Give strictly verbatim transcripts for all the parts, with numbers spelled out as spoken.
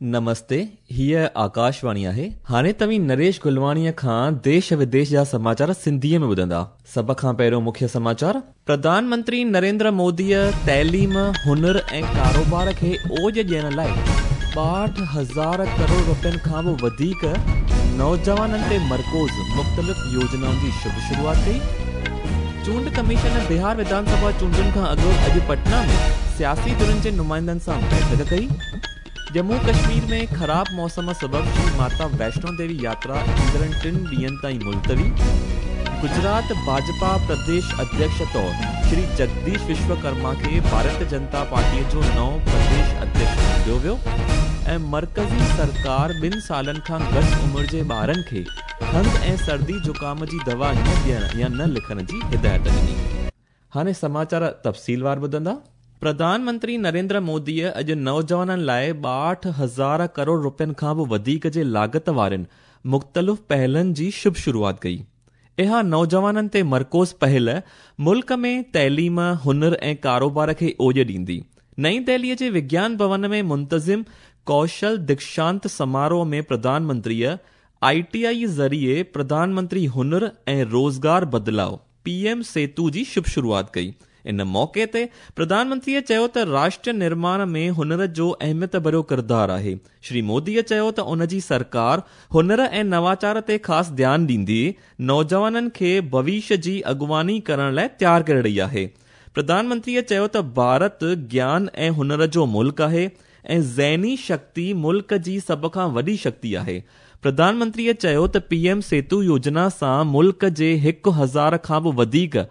نمستي، هيء آڪاشواڻي آهي. هاڻي توهين نريش گلواڻيء کان ديش وديش جا سماچار سنڌيء ۾ ٻڌندا. سڀ کان پهريون مکيه سماچار. پرڌان منتري نريندر موديء تعليم، هنر ۽ ڪاروبار کي اوج ڏيڻ لاء ٻاهٺ هزار ڪروڙ رپين کان به وڌيڪ نوجوانن تي مرڪوز مختلف يوجنائن جي شڀ شروعات ڪئي. چونڊ ڪميشن بهار وڌان سڀا چونڊن کان اڳ اڄ پٽنا ۾ سياسي ڌرين جي نمائندن سان بيٺڪ ڪئي. ڄمون ڪشمير ۾ خراب موسم سبب شري ماتا ويشنو ديوي ياترا ايندڙ ٽن ڏينهن تائين ملتوي. گجرات ڀاجپا پرديش اڌيڪش طور شري جگديش وشوڪرما کي ڀارتيه جنتا پارٽيء جو نئون پرديش اڌيڪش چونڊيو ويو ۽ مرڪزي سرڪار ٻن سالن کان گهٽ عمر جي ٻارن کي کنگهه ۽ سردي زڪام جي دوا نه ڏيڻ يا نه لکڻ جي هدايت ڏني. هاڻي سماچار تفصيلوار ٻڌندا. پرڌان منتري نريندر موديء اڄ نوجوانن لاءِ ٻاهٺ هزار ڪروڙ رپين کان به وڌيڪ جي لاڳت وارين مختلف پهلن جي شڀ شروعات ڪئي. اها نوجوانن تي مرڪوز پهل ملڪ ۾ تعليم، هنر ۽ ڪاروبار کي اوڄ ڏيندي. نئين دهليء جي وگيان ڀون ۾ منتظم ڪوشل ديڪشانت سماروهه ۾ پرڌان منتريء I T I ذريعي پرڌان منتري هنر ۽ روزگار بدلاءُ پي ايم سيتو جي شڀ شروعات ڪئي. ان موقعي تي پرڌان منتريء چيو ته راشٽر نرماڻ ۾ هنر جو اهميت ڀريو ڪردار آهي. شري موديء چيو ته ان جي سرڪار هنر ۽ نواچار تي خاص ڌيان ڏيندي نوجوانن کي ڀوشيه جي اڳواڻي ڪرڻ لاءِ تيار ڪري رهي آهي. پرڌان منتريء چيو ته ڀارت گيان ۽ هنر جو ملڪ آهي ۽ ذهني شڪتي ملڪ جي سڀ کان وڏي شڪتي آهي. پرڌان منتريء چيو ته پي ايم سيتو يوجنا سان ملڪ جي هڪ هزار کان به وڌيڪ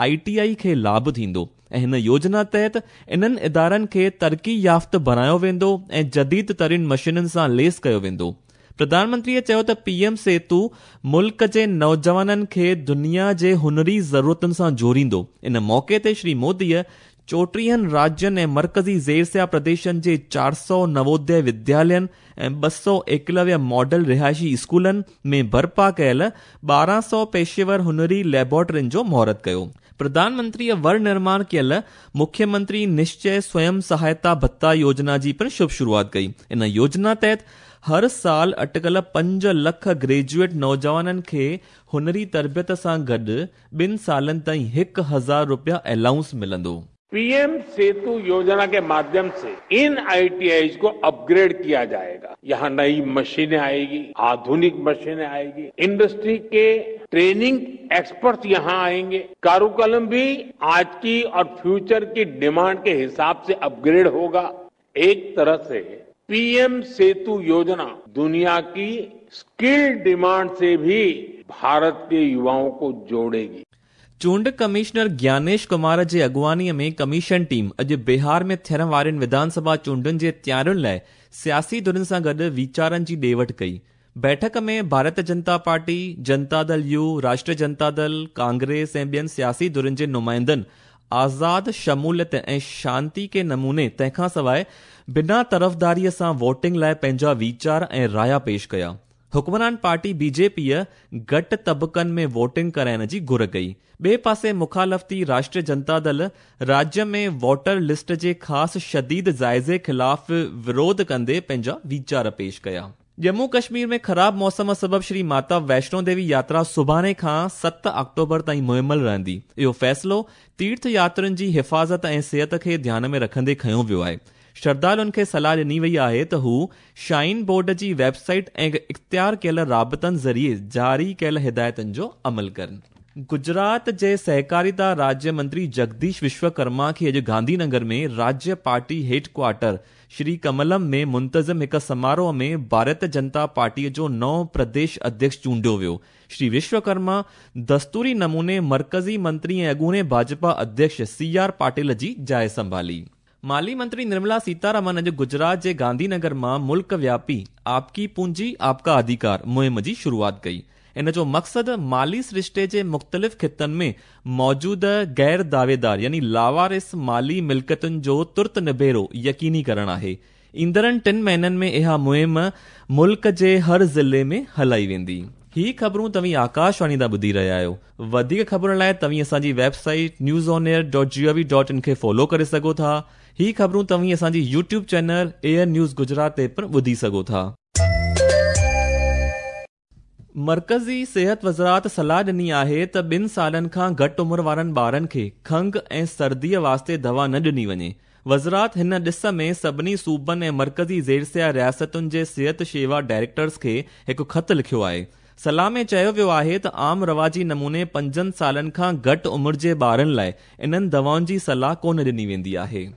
I T I کي لاڀ ٿيندو ۽ هن يوجنا تحت انهن ادارن کي ترقي يافته بڻايو ويندو ۽ جديد ترين مشينن سان ليس ڪيو ويندو. پرڌان منتريء چيو ته پي ايم سيتو ملڪ جي نوجوانن کي دنيا جي هنري ضرورتن سان جوڙيندو. ان موقعي تي شري موديء چوٽيهن راجين ۽ مرڪزي زيرسيا پرديشن جي چار سؤ نووديه وديالين ۽ ٻه سؤ ايڪلويه ماڊل رهائشي اسڪولن ۾ برپا ڪيل ٻارهن سؤ پيشيور هنري ليبارٽرين جو مهورت ڪيو. پرڌان منتريء ور نرماڻ ڪيل مکيه منتري نشچي سويم سهائتا ڀتا يوجنا جي پڻ شڀ شروعات ڪئي. ان يوجنا تحت هر سال اٽڪل پنج لک گريجوئيٽ نوجوانن کي هنري تربيت سان گڏ ٻن سالن تائين هڪ هزار رپيا الائونس ملندو. पीएम सेतु योजना के माध्यम से इन आईटीआई को अपग्रेड किया जाएगा। यहाँ नई मशीनें आएगी, आधुनिक मशीनें आएगी, इंडस्ट्री के ट्रेनिंग एक्सपर्ट्स यहाँ आएंगे। कारुकुलम भी आज की और फ्यूचर की डिमांड के हिसाब से अपग्रेड होगा। एक तरह से पीएम सेतु योजना दुनिया की स्किल डिमांड से भी भारत के युवाओं को जोड़ेगी। चूंड कमिश्नर ज्ञानेश कुमार जे अॻुवाणीअ में कमीशन टीम अॼु बिहार में थियण वारनि विधानसभा चूंडुनि जे तयारियुनि लाइ सियासी धुरियुनि सां गॾु वीचारनि जी ॾे वठ कई। बैठक में Bharatiya Janata party, Janata Dal you, Rashtriya Janata Dal, Congress ऐं ॿियनि सियासी धुरियुनि जे नुमाइंदनि आज़ाद शमूलियत ऐं शांति के नमूने तंहिंखां सवाइ बिना तरफ़दारीअ सां वोटिंग लाइ पंहिंजा वीचार ऐं राया पेश कया। हुक्मरान पार्टी बीजेपीअ घटि तबकनि में वोटिंग कराइण जी घुर कई। ॿिए पासे मुखालफ़ती राष्ट्रीय जनता दल राज्य में वोटर लिस्ट जे ख़ासि शदीद जाइज़े ख़िलाफ़ विरोध कंदे पंहिंजा वीचार पेश कया। ڄمون कश्मीर में ख़राब मौसम सबब श्री माता वैष्णो देवी यात्रा सुभाणे खां ست آڪٽوبر ताईं मुहिमल रहंदी। इहो फ़ैसिलो तीर्थ यात्रियुनि जी हिफ़ाज़त ऐं सिहत खे ध्यान में रखंदे खयो वियो आहे। श्रद्धालुनि खे सलाह ॾिनी वई आहे त हू शाइन बोर्ड जी वेबसाइट ऐं इख़्तियार कयल राबितनि ज़रिए जारी कयल हिदायतुनि जो अमल कनि। गुजरात जे सहकारिता राज्य मंत्री जगदीश विश्वकर्मा खे अॼु गांधीनगर में राज्य party head quarter Shri Kamalam में मुंतज़िम हिकु समारोह में भारतीय जनता पार्टीअ जो नओं प्रदेश अध्यक्ष चूंडियो वियो। श्री विश्वकर्मा दस्तूरी नमूने मर्कज़ी मंत्री ऐं अॻूणे भाजपा अध्यक्ष सी आर पाटिल जी जाइ संभाली। माली मंत्री निर्मला सीतारमण अॼु गुजरात जे गांधीनगर मां मुल्क व्यापी आपकी पूंजी आपका अधिकार मुहिम जी शुरूआत कई। इन जो मक़सदु माली सृष्टे जे मुख़्तलिफ़ ख़ितनि में मौजूद गैर दावेदार यानी लावारिस माली मिल्कियतुनि जो तुर्त निबेरो यकीनी करणु आहे। ईंदड़नि टिनि महीननि में इहा मुहिम मुल्क जे हर ज़िले में हलाई वेंदी। ही ख़बरूं तव्हीं आकाशवाणी तां ॿुधी रहिया आहियो। वधीक ख़बरुनि लाइ तव्हीं असांजी website news on air dot G O V dot in खे फॉलो करे सघो था ही ख़बरूं तव्हीं असांजी YouTube channel Air News Gujarat ते पिणु ॿुधी सघो था। मर्कज़ी सिहत वज़ारत सलाह ॾिनी आहे त ॿिनि सालनि खां घटि उमिरि वारनि ॿारनि खे खंघ ऐं सर्दीअ वास्ते दवा न ॾिनी वञे। वज़ारत हिन ॾिस में सभिनी सूबनि ऐं मर्कज़ी ज़ेरसिया रियासतुनि जे सिहत शेवा डायरेक्टर्स खे हिकु ख़त लिखियो आहे। सलाह में चयो वियो आहे त आम रवाजी नमूने पंजनि सालनि खां घटि उमिरि जे ॿारनि लाइ इन्हनि दवाउनि जी सलाह कोन ॾिनी वेंदी आहे।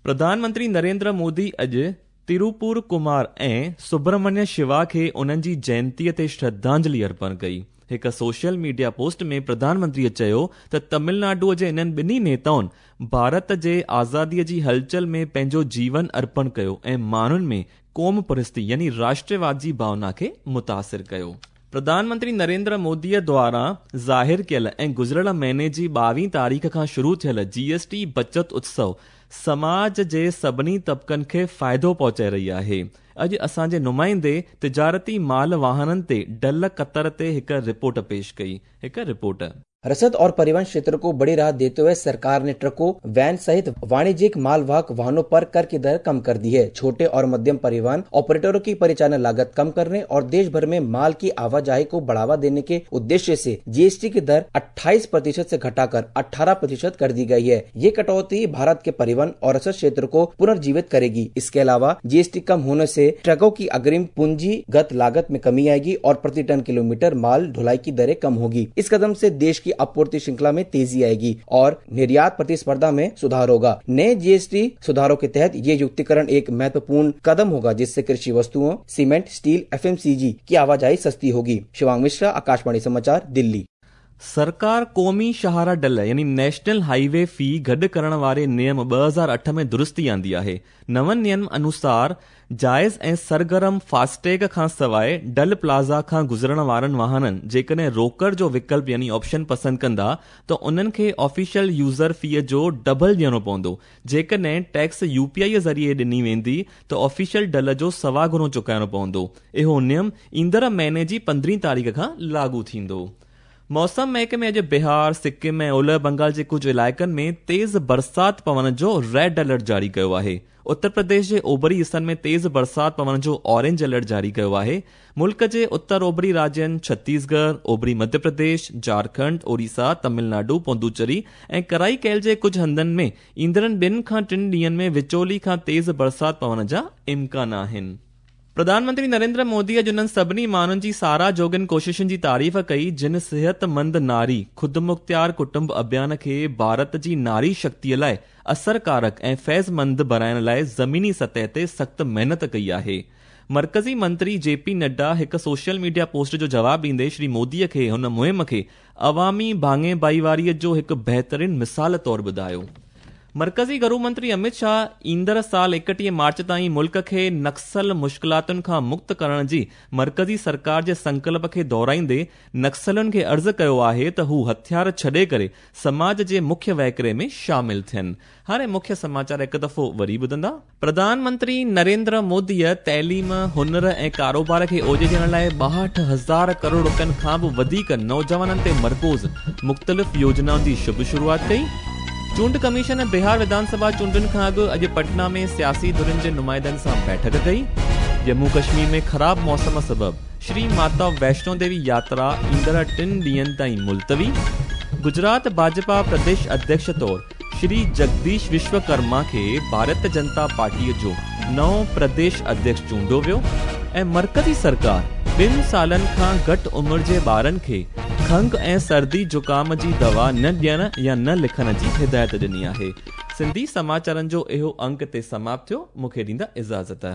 प्रधानमंत्री नरेंद्र मोदी अॼु तिरुपुर कुमार ऐं सुब्रमण्य शिवा खे उन्हनि जी जयंतीअ ते श्रद्धांजलि अर्पण कई। हिकु सोशल मीडिया पोस्ट में प्रधानमंत्रीअ चयो त तमिलनाडुअ जे इन्हनि ॿिन्ही नेताउनि भारत जे आज़ादीअ जी हलचल में पंहिंजो जीवन अर्पण कयो ऐं माण्हुनि में क़ौम परस्ती यानी राष्ट्रवाद जी भावना खे मुतासिर कयो। प्रधानमंत्री नरेंद्र मोदीअ द्वारा ज़ाहिर कयल ऐं गुज़िरियल महीने जी ॿावीह तारीख़ खां शुरू थियल जीएसटी बचत उत्सव समाज जे सभिनी तबिकनि खे फ़ाइदो पहुचाए रही आहे। अॼु असांजे नुमाइंदे तिजारती माल वाहननि ते डल कतर ते हिकु रिपोर्ट पेश कई। हिकु रिपोर्ट। रसद और परिवहन क्षेत्र को बड़ी राहत देते हुए सरकार ने ट्रकों, वैन सहित वाणिज्यिक मालवाहक वाहनों पर कर की दर कम कर दी है। छोटे और मध्यम परिवहन ऑपरेटरों की परिचालन लागत कम करने और देश भर में माल की आवाजाही को बढ़ावा देने के उद्देश्य से जीएसटी की दर अट्ठाईस प्रतिशत से घटाकर अठारह प्रतिशत कर दी गई है। ये कटौती भारत के परिवहन और रसद क्षेत्र को पुनर्जीवित करेगी। इसके अलावा जीएसटी कम होने से ट्रकों की अग्रिम पूंजीगत लागत में कमी आएगी और प्रति टन किलोमीटर माल ढुलाई की दरें कम होगी। इस कदम से देश की आपूर्ति श्रृंखला में तेजी आएगी और निर्यात प्रतिस्पर्धा में सुधार होगा। नए जीएसटी सुधारों के तहत ये युक्तिकरण एक महत्वपूर्ण कदम होगा, जिससे कृषि वस्तुओं, सीमेंट, स्टील, एफएमसीजी की आवाजाही सस्ती होगी। शिवांग मिश्रा, आकाशवाणी समाचार, दिल्ली। सरकार क़ौमी शाहरा डल यानी नेशनल हाईवे फी गॾु करण वारे नियम ॿ हज़ार अठ में दुरुस्ती आंदी आहे। नवनि नियम अनुसार जाइज़ ऐं सरगर्म फास्टैग खां सवाइ डल प्लाज़ा खां गुज़रण वारनि वाहननि जेकॾहिं रोकड़ जो विकल्प यानी ऑप्शन पसंदि कंदा त उन्हनि खे ऑफिशियल यूज़र फीअ जो डबल ॾियणो पवंदो। जेकॾहिं टैक्स यूपीआई ज़रिए ॾिनी वेंदी त ऑफिशियल डल जो सवा गुणो चुकाइणो पवंदो। इहो नियम ईंदड़ महीने जी पंद्रहीं तारीख़ खां लागू थींदो। मौसम महकमे अॼु बिहार, सिक्किम ऐं ओलह बंगाल जे कुझु इलाइक़नि में तेज़ बरसाति पवण जो रेड अलर्ट जारी कयो आहे। उत्तर प्रदेश जे ओभरी हिसनि में तेज़ बरसाति पवण जो ऑरेंज अलर्ट जारी कयो आहे। मुल्क जे उत्तर ओभरी राज्यनि छत्तीसगढ़, ओभरी मध्य प्रदेश, झारखंड, ओडिशा, तमिलनाडु, पुदुचेरी ऐं कराईकेल जे कुझु हंधनि में ईंदड़नि ॿिनि खां टिनि ॾींहंनि में विचोली खां तेज़ बरसाति पवण जा इम्कान आहिनि। प्रधानमंत्री नरेंद्र मोदी अॼु उन्हनि सभिनी माण्हुनि जी साराह जोॻनि कोशिशुनि जी तारीफ़ कई जिन सिहतमंद नारी ख़ुदमुख़्तियार कुटुंब अभियान खे भारत जी नारी शक्तिअ लाइ असरकारक ऐं फैज़मंद बणाइण लाइ ज़मीनी सतह ते सख़्तु महिनत कई आहे। मर्कज़ी मंत्री जेपी नड्डा हिकु सोशल मीडिया पोस्ट जो जवाब ॾींदे श्री मोदीअ खे हुन मुहिम खे अवामी भाङे भाईवारीअ जो हिकु बहितरीन मिसाल तौरु ॿुधायो। मर्कज़ी घरू मंत्री अमित शाह ईंदड़ साल एकटीह मार्च ताईं मुल्क खे नक्सल मुश्किलातुनि खां मुक्त करण जी मर्कज़ी सरकार जे संकल्प खे दोहराईंदे नक्सलुनि खे अर्ज़ कयो आहे त हू हथियार छॾे करे समाज जे मुख्य वहिकरे में शामिल थियनि। हाणे मुख्य समाचार हिकु दफ़ो वरी ॿुधंदा। प्रधानमंत्री नरेंद्र मोदीअ तइलीम, हुनर ऐं कारोबार खे ओजे ॾियण लाइ ॿाहठि हज़ार करोड़ रुपयनि खां बि वधीक नौजवाननि ते मरकूज़ मुख़्तलिफ़ योजनाउनि जी शुभ शुरूआत कई। चूंड कमीशन बिहार विधानसभा चूंडुनि खां अॻु अॼु पटना में सियासी धुरियुनि जे नुमाइंदनि सां बैठक कई। जम्मू कश्मीर में ख़राब मौसम सबबि श्री माता वैष्णो देवी यात्रा ईंदड़ टिनि ॾींहंनि ताईं मुलतवी। गुजरात भाजपा प्रदेश अध्यक्ष तौर श्री जगदीश विश्वकर्मा खे भारतीय जनता पार्टीअ जो नओं प्रदेश अध्यक्ष चूंडियो वियो। ऐं मर्कज़ी सरकार ॿिनि सालनि खां घटि उमिरि जे ॿारनि खे खंघ ऐं सर्दी ज़ुकाम जी दवा न ॾियण या न लिखण जी हिदायत ॾिनी आहे। सिंधी समाचारनि जो इहो अंक ते समाप्त थियो। मूंखे ॾींदा इजाज़त।